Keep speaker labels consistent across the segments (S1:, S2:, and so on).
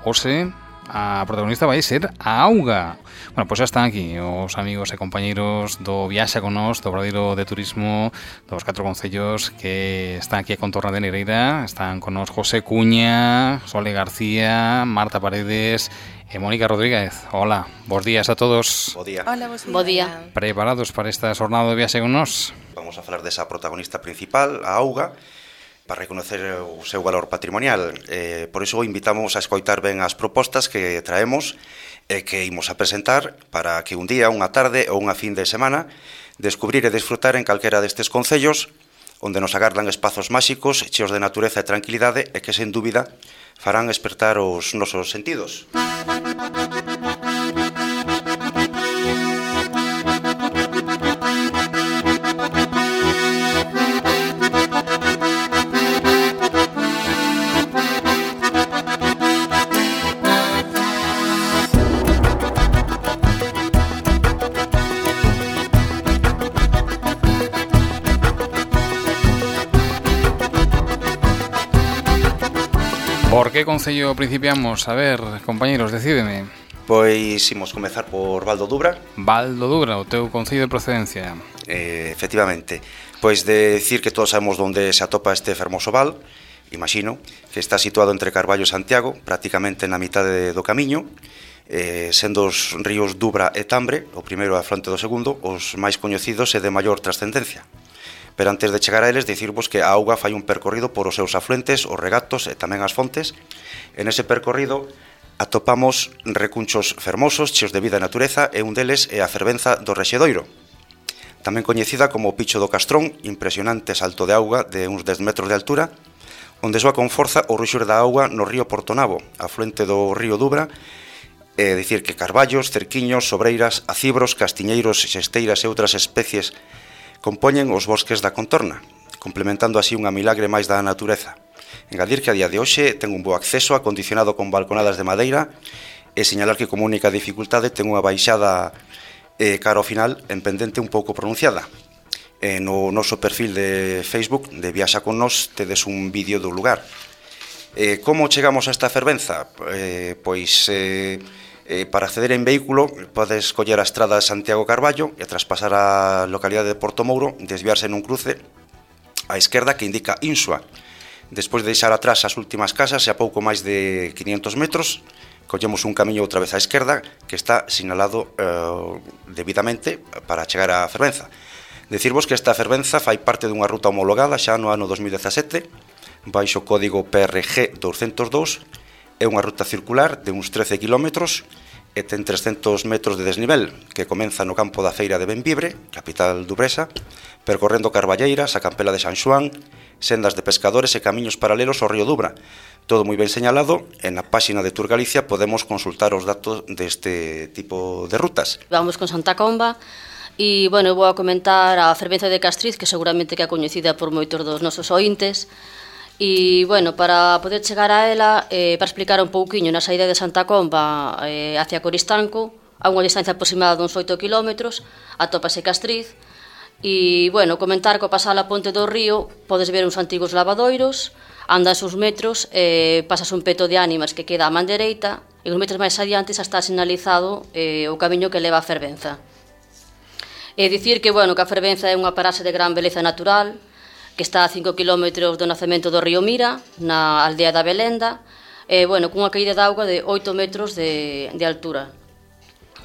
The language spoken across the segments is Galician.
S1: hoxe a protagonista vai ser a auga. Bueno, pois xa están aquí os amigos e compañeiros do Viaxa con Nós, do Obradoiro de Turismo dos 4 concellos que están aquí a contorna de Negreira. Están con nós José Cuña, Sole García, Marta Paredes e Mónica Rodríguez. Hola, bons días a todos.
S2: Bo día.
S3: Hola, bos días.
S4: Bo día.
S1: Preparados para esta xornada do Viaxe con Nós?
S2: Vamos a falar desa protagonista principal, a auga, para reconocer o seu valor patrimonial. Por iso invitamos a escoitar ben as propostas que traemos e que imos a presentar para que un día, unha tarde ou unha fin de semana descubrir e disfrutar en calquera destes concellos onde nos agardan espazos máxicos cheos de natureza e tranquilidade e que, sen dúbida, farán despertar os nosos sentidos.
S1: Por que concello principiamos? A ver, compañeros, decídeme.
S2: Pois imos comezar por Val do Dubra.
S1: Val do Dubra, o teu concello de procedencia.
S2: Efectivamente. Pois de decir que todos sabemos onde se atopa este fermoso val. Imagino que está situado entre Carballo e Santiago, prácticamente na mitade do camiño, sendo os ríos Dubra e Tambre, o primeiro a fronte do segundo, os máis coñecidos e de maior trascendencia. Pero antes de chegar a eles, dicirvos que a auga fai un percorrido por os seus afluentes, os regatos e tamén as fontes. En ese percorrido atopamos recunchos fermosos, cheos de vida e natureza, e un deles é a fervenza do Rexedoiro, tamén coñecida como o Picho do Castrón, impresionante salto de auga de uns 10 metros de altura, onde soa con forza o ruxur da auga no río Portonabo, afluente do río Dubra, é dicir que carballos, cerquiños, sobreiras, acibros, castiñeiros, xesteiras e outras especies compoñen os bosques da contorna, complementando así unha milagre máis da natureza. Engadir que a día de hoxe ten un bo acceso acondicionado con balconadas de madeira e señalar que como única dificultade ten unha baixada cara ao final en pendente un pouco pronunciada. No noso perfil de Facebook de Viaxa con Nós tedes un vídeo do lugar. Como chegamos a esta fervenza? Para acceder en vehículo podes coller a estrada de Santiago Carballo e tras pasar a localidade de Porto Mouro desviarse nun cruce á esquerda que indica Insua. Despois de deixar atrás as últimas casas e a pouco máis de 500 metros collemos un camiño outra vez á esquerda que está sinalado debidamente para chegar á fervenza. Decirvos que esta fervenza fai parte dunha ruta homologada xa no ano 2017 baixo o código PRG 202. É unha ruta circular de uns 13 kilómetros e ten 300 metros de desnivel que comeza no campo da feira de Benvibre, capital dubresa, percorrendo Carballeiras, a Campela de San Xoán, sendas de pescadores e camiños paralelos ao río Dubra. Todo moi ben señalado, e na páxina de Tour Galicia podemos consultar os datos deste tipo de rutas.
S4: Vamos con Santa Comba e, bueno, vou a comentar a fervenza de Castriz, que seguramente que é coñecida por moitos dos nosos ointes. E, bueno, para poder chegar a ela, para explicar un pouquiño, na saída de Santa Comba hacia Coristanco, a unha distancia aproximada duns 8 km, atópase Castriz. E, bueno, comentar que ao pasar a ponte do río podes ver uns antigos lavadoiros, andas uns metros, pasas un peto de ánimas que queda á man dereita, e uns metros máis adiante xa está sinalizado o camiño que leva a fervenza. E dicir que, bueno, que a fervenza é unha paraxe de gran beleza natural, que está a 5 km do nacemento do río Mira, na aldea da Belenda, bueno, cunha caída de auga de 8 metros de altura.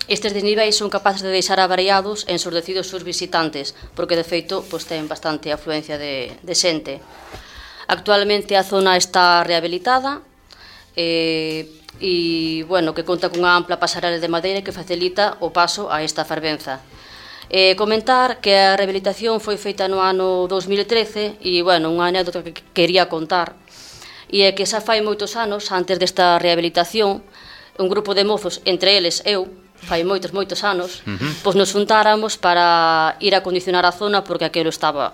S4: Estes desniveis son capaces de deixar avariados e ensordecidos os visitantes, porque de feito ten bastante afluencia de xente. Actualmente a zona está rehabilitada e, bueno, que conta cunha ampla pasarela de madeira que facilita o paso a esta fervenza. Comentar que a rehabilitación foi feita no ano 2013 e, bueno, unha anécdota que quería contar e é que xa fai moitos anos, antes desta rehabilitación, un grupo de mozos, entre eles eu, fai moitos anos, pois nos juntáramos para ir a acondicionar a zona porque aquilo estaba,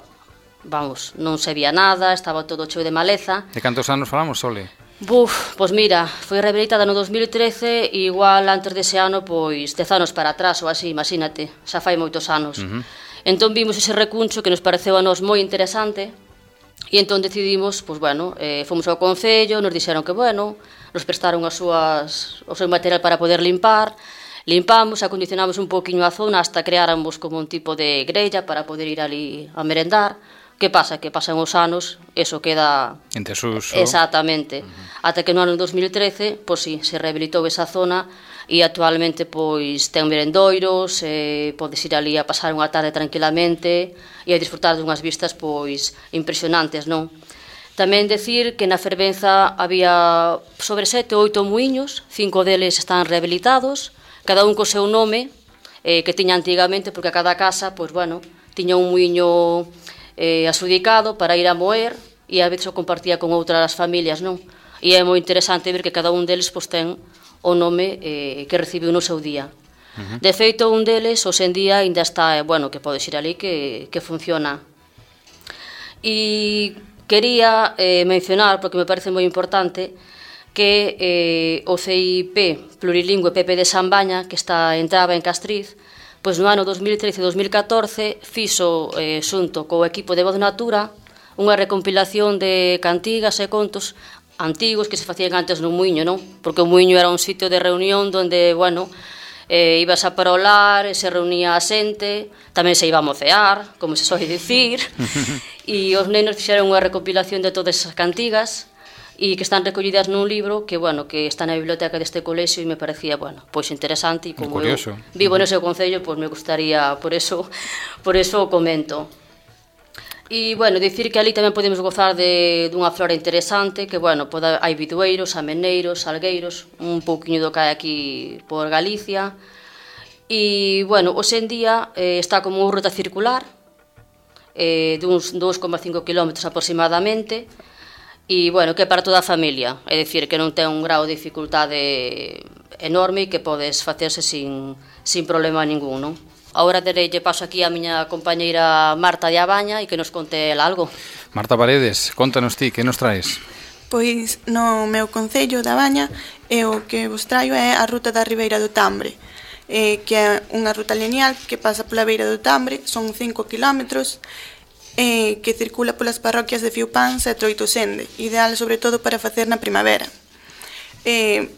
S4: vamos, non se vía nada, estaba todo cheo de maleza.
S1: De cantos anos falamos, Sole?
S4: Pois mira, foi rehabilitada no 2013 e igual antes dese ano, pois 10 anos para atrás ou así, imagínate, xa fai moitos anos. Entón vimos ese recuncho que nos pareceu a nós moi interesante e entón decidimos, pois bueno, fomos ao concello, nos dixeron que bueno, nos prestaron o seu material para poder limpar. Limpamos, acondicionamos un poquinho a zona hasta creáramos como un tipo de grella para poder ir ali a merendar. Que pasa? Que pasan os anos, eso queda...
S1: En desuso.
S4: Exactamente. Ata que no ano 2013, pois sí, se rehabilitou esa zona e actualmente pois ten merendoiros, podes ir ali a pasar unha tarde tranquilamente e a disfrutar dunhas vistas pois impresionantes, non? Tamén decir que na Fervenza había sobre 7 ou 8 muiños, 5 deles están rehabilitados, cada un co seu nome que tiña antigamente, porque a cada casa, pois bueno, tiña un muiño asudicado para ir a moer e a veces o compartía con outras familias, non? E é moi interesante ver que cada un deles pois ten o nome que recibiu no seu día. De feito, un deles, hoxe en día, ainda está, bueno, que podes ir ali que funciona. E quería mencionar, porque me parece moi importante, que o CIP plurilingüe Pepe de Sambaña, que entraba en Castriz, pois no ano 2013-2014 fixo, xunto co equipo de Voz Natura, unha recompilación de cantigas e contos antigos que se facían antes no muiño, non? Porque o muiño era un sitio de reunión onde, bueno, ibas a parolar, se reunía a xente, tamén se iba a mocear, como se soe dicir, e os nenos fixeron unha recompilación de todas esas cantigas, e que están recollidas nun libro que, bueno, que está na biblioteca deste colexio e me parecía, bueno, pois interesante e como
S1: curioso.
S4: Eu vivo no seu concello, pois me gustaría, por eso o comento. E, bueno, dicir que ali tamén podemos gozar dunha flora interesante, que, bueno, hai bidueiros, ameneiros, salgueiros, un pouquiño do que hai aquí por Galicia. E, bueno, hoxe en día está como unha ruta circular, duns 2,5 km aproximadamente, e, bueno, que é para toda a familia, é dicir, que non ten un grau de dificultade enorme e que podes facerse sin problema ningún, non? Agora dereille paso aquí a miña compañeira Marta de Abaña e que nos conte ela algo.
S1: Marta Paredes, contanos ti, que nos traes?
S3: Pois no meu concello da Baña o que vos traio é a ruta da Ribeira do Tambre, que é unha ruta lineal que pasa pola beira do Tambre, son 5 kilómetros, que circula polas parroquias de Fiupáns e Troitosende, ideal sobre todo para facer na primavera.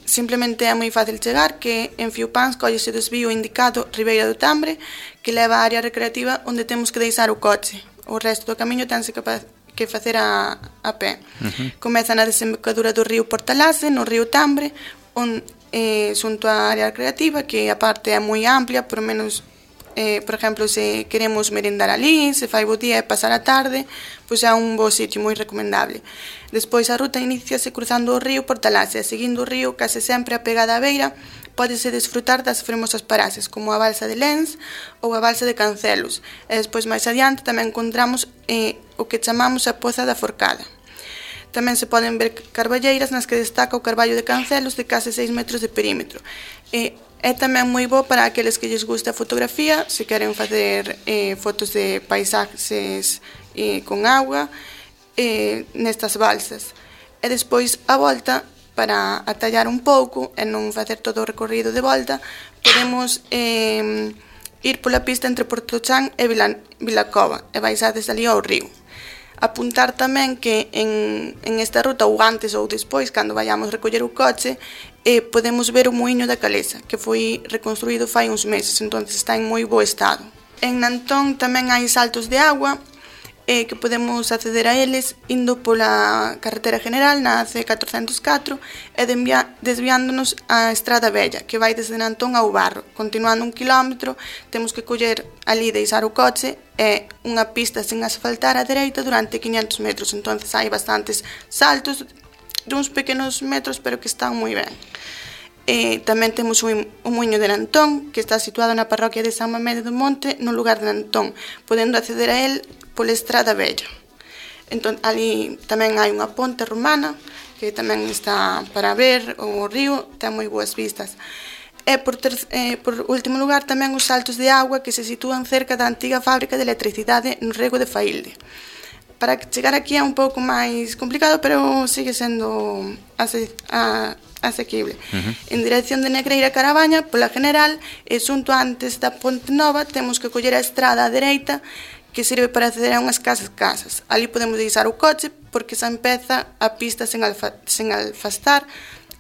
S3: Simplemente é moi fácil chegar, que en Fiupáns collese o desvío indicado Ribeira do Tambre, que leva á área recreativa onde temos que deixar o coche. O resto do camiño tense que facer a pé. Comeza na desembocadura do río Portalase, no río Tambre, xunto á área recreativa, que a parte é moi amplia, por menos... por exemplo, se queremos merendar ali, se fai bo día e pasar a tarde, pois é un bo sitio moi recomendable. Despois a ruta iníciase cruzando o río Portalase e seguindo o río case sempre a pegada á beira, pódese desfrutar das fermosas paraxes como a balsa de Lens ou a balsa de Cancelos, e despois máis adiante tamén encontramos o que chamamos a Poza da Forcada. Tamén se poden ver carballeiras nas que destaca o carballo de Cancelos de case 6 metros de perímetro. É tamén moi bo para aqueles que lles gusta a fotografía, se queren facer fotos de paisaxes con agua nestas balsas. E despois, a volta, para atallar un pouco e non facer todo o recorrido de volta, podemos ir pola pista entre Portochan e Vilacova e baixades ali ao río. Apuntar tamén que en esta ruta, ou antes ou despois, cando vayamos recoller o coche, podemos ver o muiño da Calesa, que foi reconstruído fai uns meses, entón está en moi bo estado. En Nantón tamén hai saltos de agua, que podemos acceder a eles indo pola carretera general na C404 e desviándonos á Estrada Bella, que vai desde Nantón ao Barro. Continuando 1 kilómetro, temos que coller ali, deixar o coche e unha pista sen asfaltar á dereita durante 500 metros, entón hai bastantes saltos de uns pequenos metros, pero que están moi ben. Tamén temos o muiño de Nantón, que está situado na parroquia de San Mamede do Monte, no lugar de Nantón, podendo acceder a él pola Estrada Bella. Entón, ali tamén hai unha ponte romana, que tamén está para ver o río, ten moi boas vistas. E por último lugar tamén os saltos de agua que se sitúan cerca da antiga fábrica de electricidade no Rego de Failde. Para chegar aquí é un pouco máis complicado, pero sigue sendo asequible. En dirección de Negreira a Carabaña, pola general, e xunto antes da Ponte Nova, temos que coller a estrada á dereita, que sirve para acceder a unhas casas. Ali podemos deixar o coche, porque xa empeza a pista sen alfastar,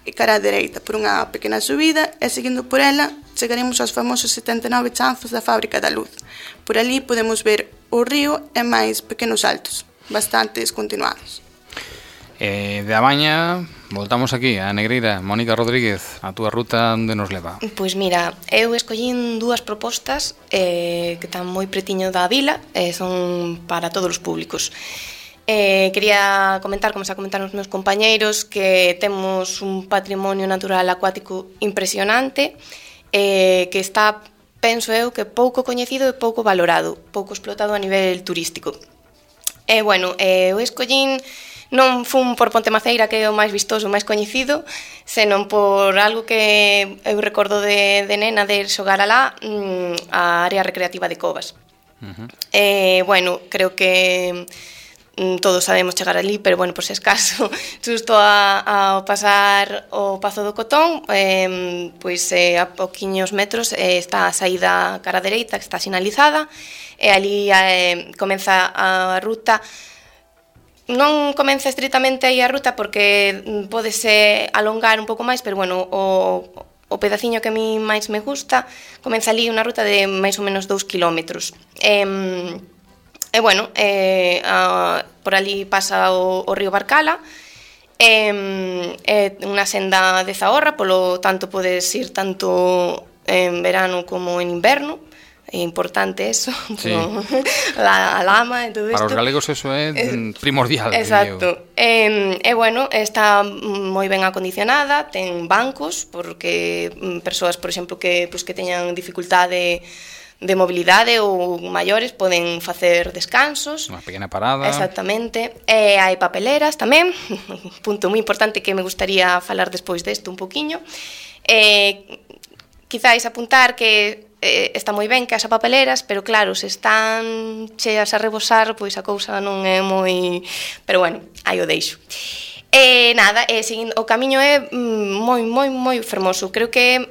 S3: e cara á dereita por unha pequena subida e seguindo por ela chegaremos aos famosos 79 chanzos da Fábrica da Luz. Por ali podemos ver o río e máis pequenos saltos, bastante continuados.
S1: De Amaña, voltamos aquí a Negreira. Mónica Rodríguez, a túa ruta onde nos leva?
S5: Pois mira, eu escollín dúas propostas que están moi pretiño da vila e son para todos os públicos. Quería comentar, como xa comentaron os meus compañeiros, que temos un patrimonio natural acuático impresionante que está, penso eu, que pouco coñecido e pouco valorado, pouco explotado a nivel turístico. Eu escollín, non fun por Ponte Maceira, que é o máis vistoso, o máis coñecido, senón por algo que eu recordo de nena de xogar alá, a área recreativa de Covas. Creo que todos sabemos chegar ali, pero por se escaso, xusto ao pasar o Pazo do Cotón, a poquiños metros está a saída cara dereita, que está sinalizada, e ali comeza a ruta. Non comeza estritamente aí a ruta porque pódese alongar un pouco máis, pero o pedaciño que a mí máis me gusta comeza ali unha ruta de máis ou menos 2 kilómetros. Por ali pasa o río Barcala, unha senda de Zahorra, polo tanto podes ir tanto en verano como en inverno. É importante eso, sí. A lama e todo isto.
S1: Para os galegos eso é primordial.
S5: Exacto. Está moi ben acondicionada, ten bancos, porque persoas, por exemplo, que teñan dificultade de mobilidade ou maiores poden facer descansos.
S1: Unha pequena parada.
S5: Exactamente. Hai papeleras tamén, punto moi importante que me gustaría falar despois desto un poquinho. Quizáis apuntar que está moi ben que haxa papeleras, pero claro, se están cheas a rebosar, pois a cousa non é moi... Pero aí o deixo. Seguindo, o camiño é moi fermoso. Creo que é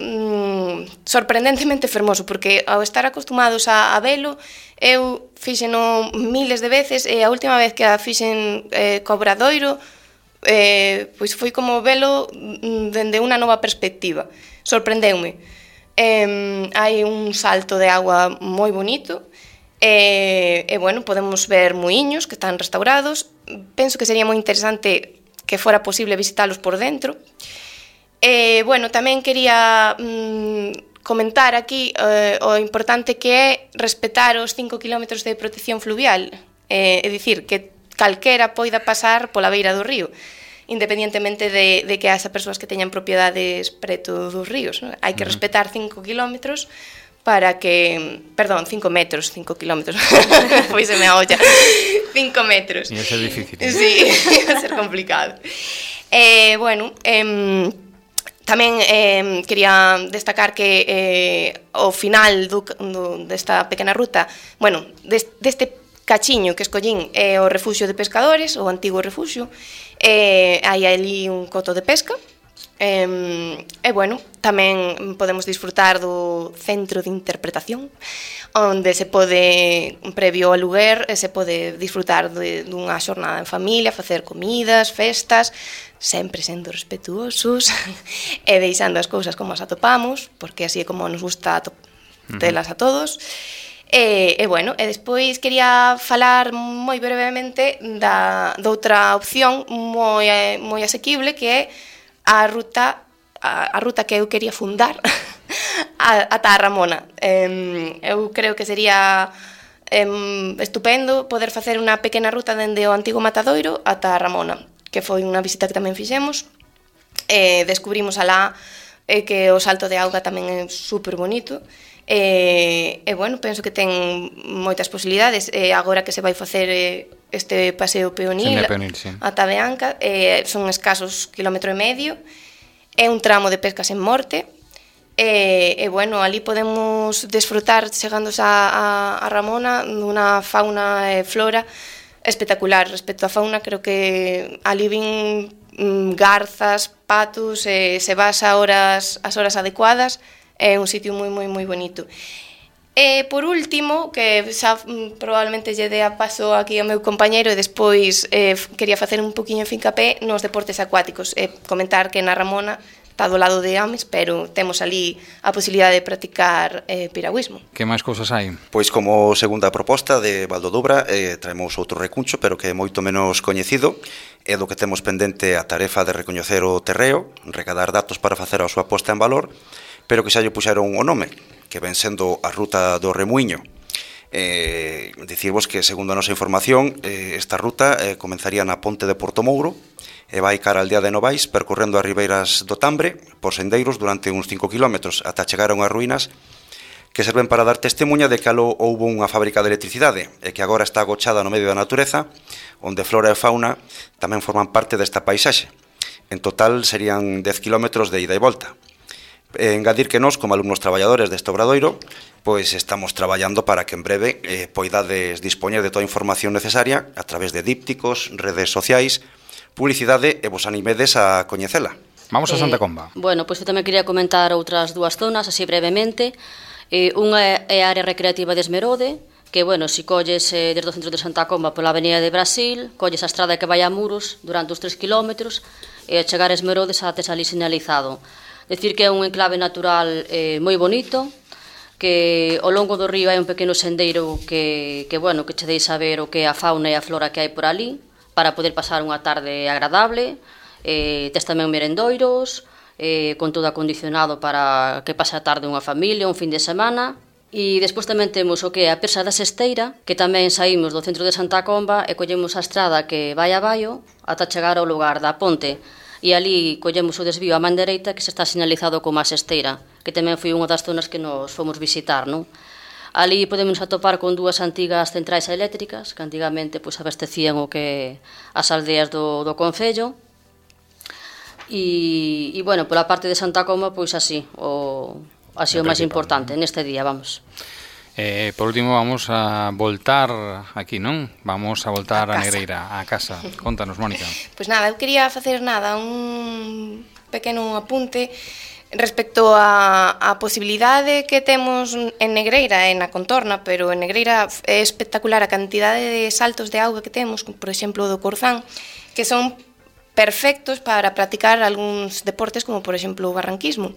S5: sorprendentemente fermoso, porque ao estar acostumados a velo, eu fíxeno miles de veces, e a última vez que a fixen co Obradoiro, pois foi como velo dende unha nova perspectiva. Sorprendeume. Hai un salto de agua moi bonito podemos ver muiños que están restaurados. Penso que sería moi interesante que fora posible visitalos por dentro. Tamén quería comentar aquí o importante que é respetar os 5 km de protección fluvial, é dicir, que calquera poida pasar pola beira do río, independientemente de que haxa persoas que teñan propiedades preto dos ríos, non? Hai que respetar 5 kilómetros para que... Perdón, 5 metros, 5 kilómetros. Poiseme a olla. 5 metros.
S1: Ia ser difícil.
S5: Sí, ia ser complicado. Tamén quería destacar que ao final desta pequena ruta, deste cachiño que escollín é o refuxio de pescadores, o antigo refuxio. Hai ali un coto de pesca. Tamén podemos disfrutar do centro de interpretación, onde se pode, previo ao aluguer, se pode disfrutar dunha xornada en familia, facer comidas, festas, sempre sendo respetuosos e deixando as cousas como as atopamos, porque así é como nos gusta telas a todos. Despois quería falar moi brevemente doutra opción moi asequible, que é a ruta que eu quería fundar ata a Ramona. Eu creo que sería estupendo poder facer unha pequena ruta dende o antigo Matadoiro ata a Ramona, que foi unha visita que tamén fixemos. Descubrimos alá que o salto de auga tamén é super bonito. Penso que ten moitas posibilidades. Agora que se vai facer este paseo peonil,
S1: sí.
S5: ata Beanca, son escasos 1,5 km, é un tramo de pesca sen morte, ali podemos desfrutar chegándose a Ramona dunha fauna e flora espectacular. Respecto á fauna, creo que ali vin garzas, patos, se vas as horas adecuadas, é un sitio moi bonito. E por último, que xa probablemente lle dea paso aquí ao meu compañeiro e despois quería facer un poquinho fincapé nos deportes acuáticos e comentar que na Ramona está do lado de homes, pero temos ali a posibilidade de practicar piragüismo.
S1: Que máis cousas hai?
S2: Pois como segunda proposta de Valdodobra traemos outro recuncho, pero que é moito menos coñecido, é do que temos pendente a tarefa de recoñecer o terreo, recadar datos para facer a súa posta en valor, pero que xa lle puxeron o nome, que ven sendo a ruta do Remuiño. Dicirvos que, segundo a nosa información, esta ruta comenzaría na ponte de Portomouro e vai cara al aldea de Novais, percorrendo as ribeiras do Tambre por sendeiros durante uns 5 km ata chegar a unhas ruínas que serven para dar testemunha de que aló houbo unha fábrica de electricidade e que agora está agochada no medio da natureza, onde flora e fauna tamén forman parte desta paisaxe. En total serían 10 km de ida e volta. Engadir que nós, como alumnos traballadores deste obradoiro, pois estamos traballando para que en breve poidades dispoñer de toda a información necesaria a través de dípticos, redes sociais, publicidade e vos animedes a coñecela.
S1: Vamos a Santa Comba.
S4: Bueno, pois eu tamén quería comentar outras dúas zonas, así brevemente. Unha é a área recreativa de Esmerode, que, bueno, se colles desde o centro de Santa Comba pola avenida de Brasil, colles a estrada que vai a Muros durante os 3 km e a chegar a Esmerode xa tes ali sinalizado. Decir que é un enclave natural moi bonito, que ao longo do río hai un pequeno sendeiro que che deixa ver o que é a fauna e a flora que hai por ali, para poder pasar unha tarde agradable. Tes tamén merendoiros, con todo acondicionado para que pase a tarde unha familia, un fin de semana. E despois tamén temos o que é a Persa da Sesteira, que tamén saímos do centro de Santa Comba e collemos a estrada que vai a Baio ata chegar ao lugar da ponte. E ali collemos o desvío a man dereita que se está sinalizado como a Sesteira, que tamén foi unha das zonas que nos fomos visitar, non? Ali podemos atopar con dúas antigas centrais eléctricas que antigamente pois, abastecían o que as aldeas do concello. E bueno, pola parte de Santa Comba, pois así o máis importante neste día, vamos.
S1: Por último, vamos a voltar aquí, non? Vamos a voltar a Negreira, a casa. Contanos, Mónica.
S5: Pois nada, eu quería facer un pequeno apunte respecto a posibilidade que temos en Negreira e na contorna, pero en Negreira é espectacular a cantidade de saltos de auga que temos, por exemplo, do Corzán, que son perfectos para practicar algúns deportes como, por exemplo, o barranquismo.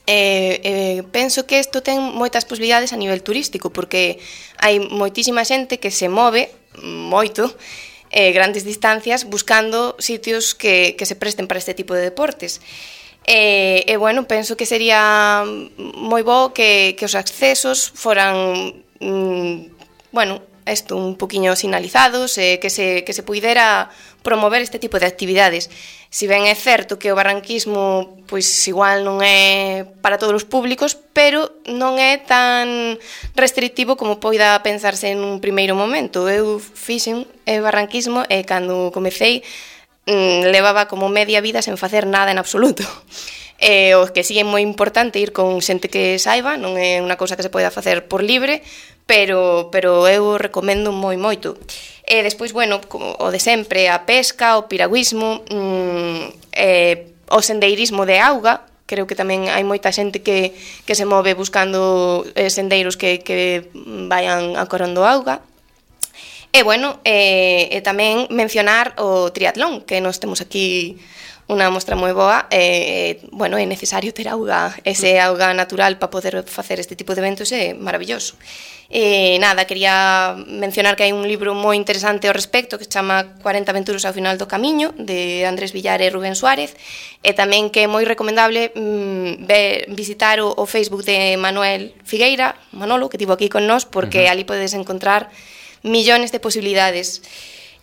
S5: Penso que isto ten moitas posibilidades a nivel turístico, porque hai moitísima xente que se move moito grandes distancias buscando sitios que se presten para este tipo de deportes. Bueno, penso que sería moi bo que os accesos foran un poquinho sinalizados, que se puidera promover este tipo de actividades. Si ben é certo que o barranquismo pois igual non é para todos os públicos, pero non é tan restrictivo como poida pensarse en un primeiro momento. Eu fixen barranquismo e cando comecei levaba como media vida sen facer nada en absoluto. O que sí é moi importante ir con xente que saiba, non é unha cousa que se poida facer por libre, pero eu recomendo moito. E despois, bueno, o de sempre, a pesca, o piragüismo, o sendeirismo de auga. Creo que tamén hai moita xente que se move buscando sendeiros que vayan acorrendo auga. E, bueno, tamén mencionar o triatlón, que nos temos aquí unha mostra moi boa. Bueno, é necesario ter auga, ese auga natural para poder facer este tipo de eventos, é maravilloso. Nada, quería mencionar que hai un libro moi interesante ao respecto que se chama 40 aventuras ao final do camiño, de Andrés Villar e Rubén Suárez, e tamén que é moi recomendable visitar o Facebook de Manuel Figueira, Manolo, que tivo aquí con nós, porque ali podes encontrar millones de posibilidades.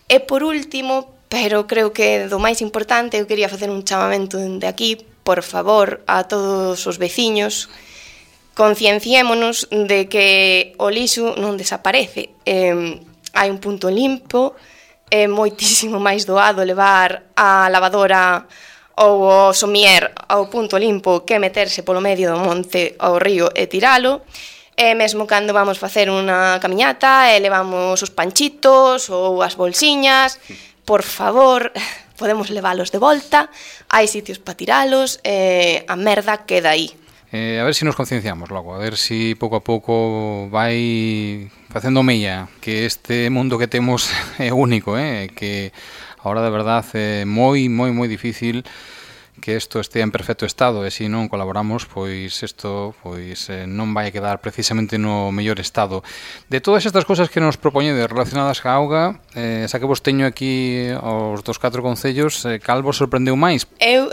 S5: E por último, pero creo que do máis importante, eu quería facer un chamamento de aquí, por favor, a todos os veciños, concienciémonos de que o lixo non desaparece. Hai un punto limpo, é moitísimo máis doado levar a lavadora ou o somier ao punto limpo que meterse polo medio do monte ao río e tiralo. E mesmo cando vamos facer unha camiñata e levamos os panchitos ou as bolsiñas, por favor, podemos leválos de volta, hai sitios para tiralos, a merda queda aí.
S1: A ver se nos concienciamos logo, a ver se pouco a pouco vai facendo mella que este mundo que temos é único, que agora de verdade é moi difícil que isto estea en perfecto estado, e se non colaboramos, pois isto non vai quedar precisamente no mellor estado. De todas estas cousas que nos propoñedes relacionadas ca auga, xa que vos teño aquí os dos 4 concellos, cal vos sorprendeu máis?
S5: Eu,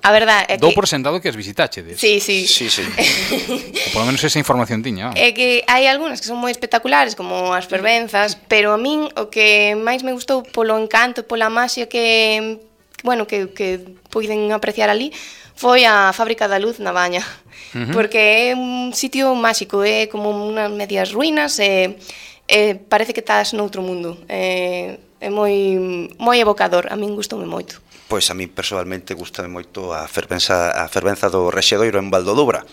S5: a verdade é que...
S1: Dou por sentado que as visitáchedes.
S5: Sí.
S1: Ou polo menos esa información tiña.
S5: É que hai algunhas que son moi espectaculares, como as fervenzas, pero a min o que máis me gustou polo encanto, pola maxia que puiden apreciar ali, foi a Fábrica da Luz na Baña. Porque é un sitio máxico, é como unhas medias ruínas, e parece que estás noutro mundo. É moi evocador, a min gustoume moito.
S2: Pois a mí personalmente gustame moito a fervenza do Rexedoiro en Valdodobra.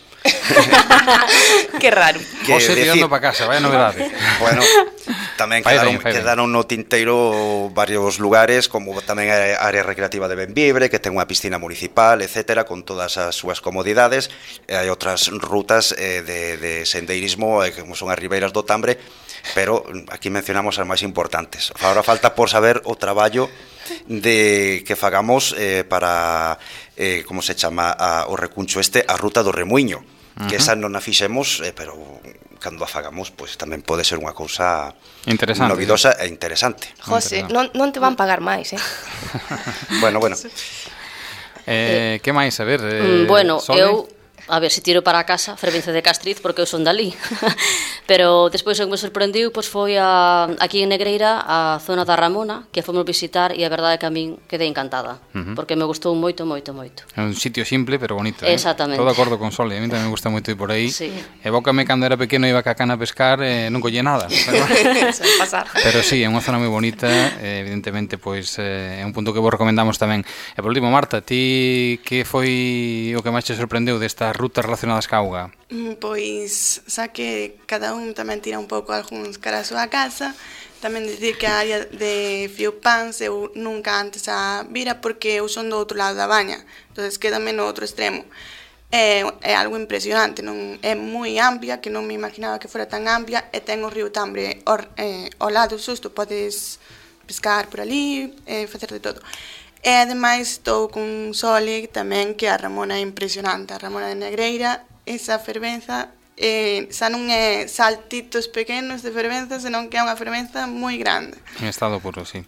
S5: Que raro.
S1: José tirando para casa, vaya novedade.
S2: Bueno, tamén quedaron no tinteiro varios lugares, como tamén a área recreativa de Benvibre, que ten unha piscina municipal, etcétera, con todas as súas comodidades. E hai outras rutas de sendeirismo, como son as ribeiras do Tambre, pero aquí mencionamos as máis importantes. Agora falta por saber o traballo de que fagamos para como se chama o recuncho a ruta do Remuiño, que esa non a fixemos, pero cando a fagamos, pois tamén pode ser unha cousa
S1: interesante,
S2: novidosa e interesante.
S5: José, non te van pagar máis,
S2: Bueno.
S1: Que máis, a ver,
S4: bueno,
S1: Sole?
S4: eu a ver se tiro para a casa Fervenza de Castriz, porque eu son dali. Pero despois o que me sorprendiu pois foi aquí en Negreira a zona da Ramona, que fomos visitar, e a verdade é que a min quedei encantada, porque me gustou moito.
S1: É un sitio simple pero bonito.
S4: Exactamente.
S1: Todo de acordo con Sole, a mí tamén me gusta moito ir por aí.
S4: Sí.
S1: Evócame cando era pequeno, iba ca cana a pescar, non collé nada. Pero sí, é unha zona moi bonita, evidentemente pois é un punto que vos recomendamos tamén. E por último, Marta, ti que foi o que máis te sorprendeu destas rutas relacionadas ca auga?
S3: Pois, xa que cada un tamén tira un pouco algúns cara a súa casa, tamén dicir que a área de Fiopans eu nunca antes a vira porque eu son do outro lado da Baña, entonces quédame no outro extremo. É algo impresionante, non é moi amplia, que non me imaginaba que fora tan amplia, e ten o río Tambre ao lado xusto, podes pescar por ali, facer de todo. E ademais estou con Sole tamén, que a Ramona é impresionante, a Ramona de Negreira, esa fervenza, xa non é saltitos pequenos de fervenza, senón que é unha fervenza moi grande.
S1: En estado puro, sí.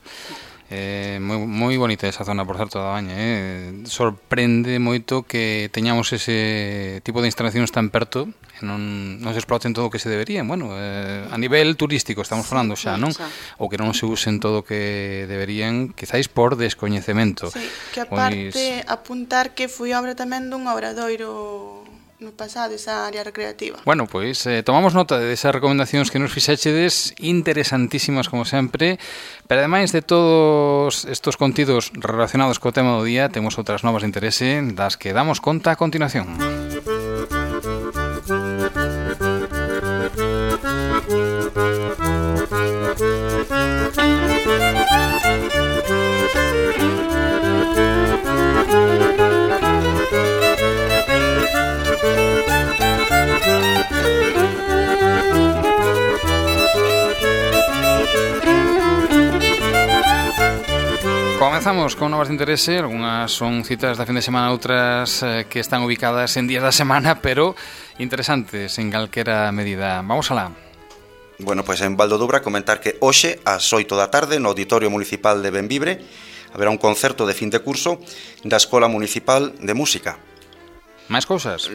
S1: Moi bonita esa zona, por certo, da Baña. Sorprende moito que teñamos ese tipo de instalacións tan perto e non se exploten todo o que se deberían. Bueno, a nivel turístico estamos falando xa, non? Ou que non se usen todo o que deberían, quizáis por descoñecemento.
S3: Sí, que aparte apuntar que foi obra tamén dun obradoiro no pasado, esa área recreativa.
S1: Bueno, pois tomamos nota desas recomendacións que nos fixéchedes, interesantísimas como sempre, pero ademais de todos estos contidos relacionados co tema do día, temos outras novas de interese das que damos conta a continuación. Comezamos con novas de interese, algunhas son citas da fin de semana, outras que están ubicadas en días da semana, pero interesantes en calquera medida. Vamos alá.
S2: Bueno, pois en Valdodobra comentar que hoxe ás 8 da tarde no Auditorio Municipal de Benvibre haberá un concerto de fin de curso da Escola Municipal de Música.
S1: Máis cousas?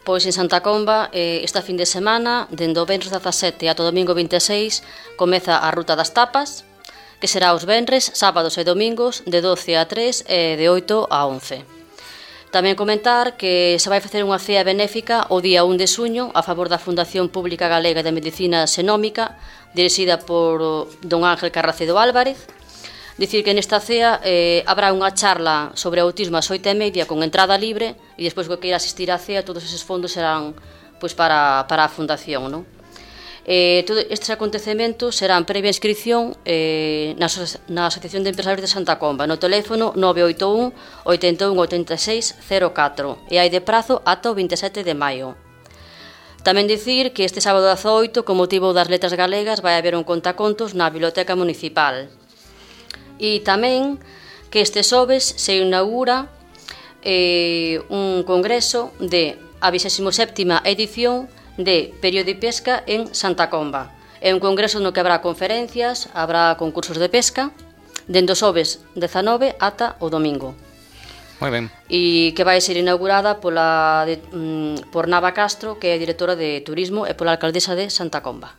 S4: Pois en Santa Comba, esta fin de semana, dende o venres 17 ata o domingo 26, comeza a Ruta das Tapas, que será os venres, sábados e domingos de 12 a 3 e de 8 a 11. Tamén comentar que se vai facer unha cea benéfica o día 1 de suño a favor da Fundación Pública Galega de Medicina Xenómica, dirixida por don Ángel Carracedo Álvarez. Dicir que nesta cea habrá unha charla sobre autismo ás 8:30 con entrada libre, e despois que queira asistir á cea todos eses fondos serán pois para a Fundación, non? Todos estes acontecementos serán previa inscripción na Asociación de Empresarios de Santa Comba, no teléfono 981 81 86 04, e hai de prazo ata o 27 de maio. Tamén dicir que este sábado 18, con motivo das Letras Galegas, vai haber un contacontos na Biblioteca Municipal. E tamén que este xoves se inaugura un congreso de a 27ª edición de Período de Pesca en Santa Comba. É un congreso no que habrá conferencias, habrá concursos de pesca, dende o xoves 19 ata o domingo.
S1: Moi ben.
S4: E que vai ser inaugurada por Nava Castro, que é directora de Turismo, e pola alcaldesa de Santa Comba.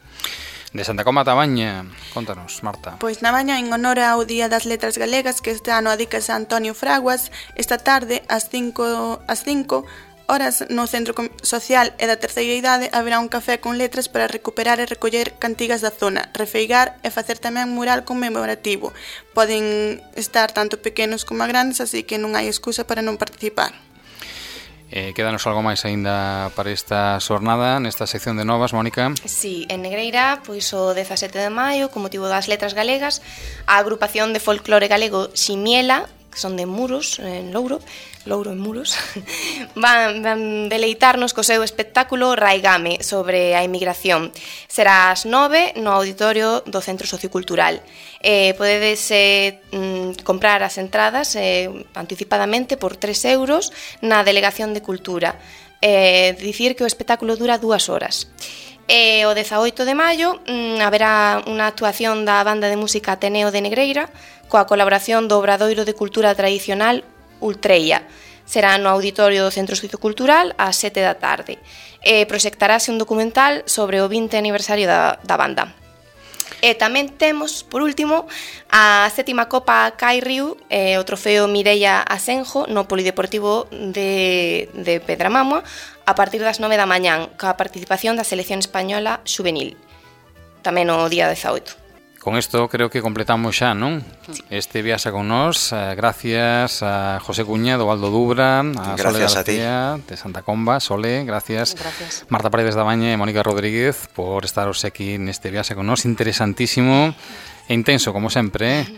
S1: De Santa Comba a Tabaña, contanos, Marta.
S3: Pois na Baña, en honor ao Día das Letras Galegas, que este ano adícase a Antonio Fraguas, esta tarde, ás 5 horas, no Centro Social e da Terceira Idade, haberá un café con letras para recuperar e recoller cantigas da zona, refeigar e facer tamén mural conmemorativo. Poden estar tanto pequenos como grandes, así que non hai excusa para non participar.
S1: Quédanos algo máis aínda para esta xornada, nesta sección de novas, Mónica?
S5: Sí, en Negreira, pois o 17 de maio, con motivo das Letras Galegas, a agrupación de folclore galego Ximiela, que son de Muros, en Louro en Muros, van deleitarnos co seu espectáculo Raigame sobre a inmigración. Será ás 9 no auditorio do Centro Sociocultural. Podedes comprar as entradas anticipadamente por 3 euros na Delegación de Cultura. Dicir que o espectáculo dura 2 horas. O 18 de maio haberá unha actuación da banda de música Ateneo de Negreira coa colaboración do Obradoiro de Cultura Tradicional Ultreia. Será no auditorio do Centro Sociocultural ás 7 da tarde. Proxectarase un documental sobre o 20 aniversario da banda. E tamén temos, por último, a 7ª Copa Cai Riu, o trofeo Mireia Asenjo no Polideportivo de Pedramamua, a partir das 9 da mañán, coa participación da selección española xuvenil, tamén o día 18.
S1: Con isto creo que completamos xa, non? Este viaxe con nós, gracias a José Cuña do Aldo Dubra, a Sole García de Santa Comba. Sole, gracias. Marta Paredes da Baña e Mónica Rodríguez por estaros aquí neste viaxe con nós, interesantísimo e intenso, como sempre,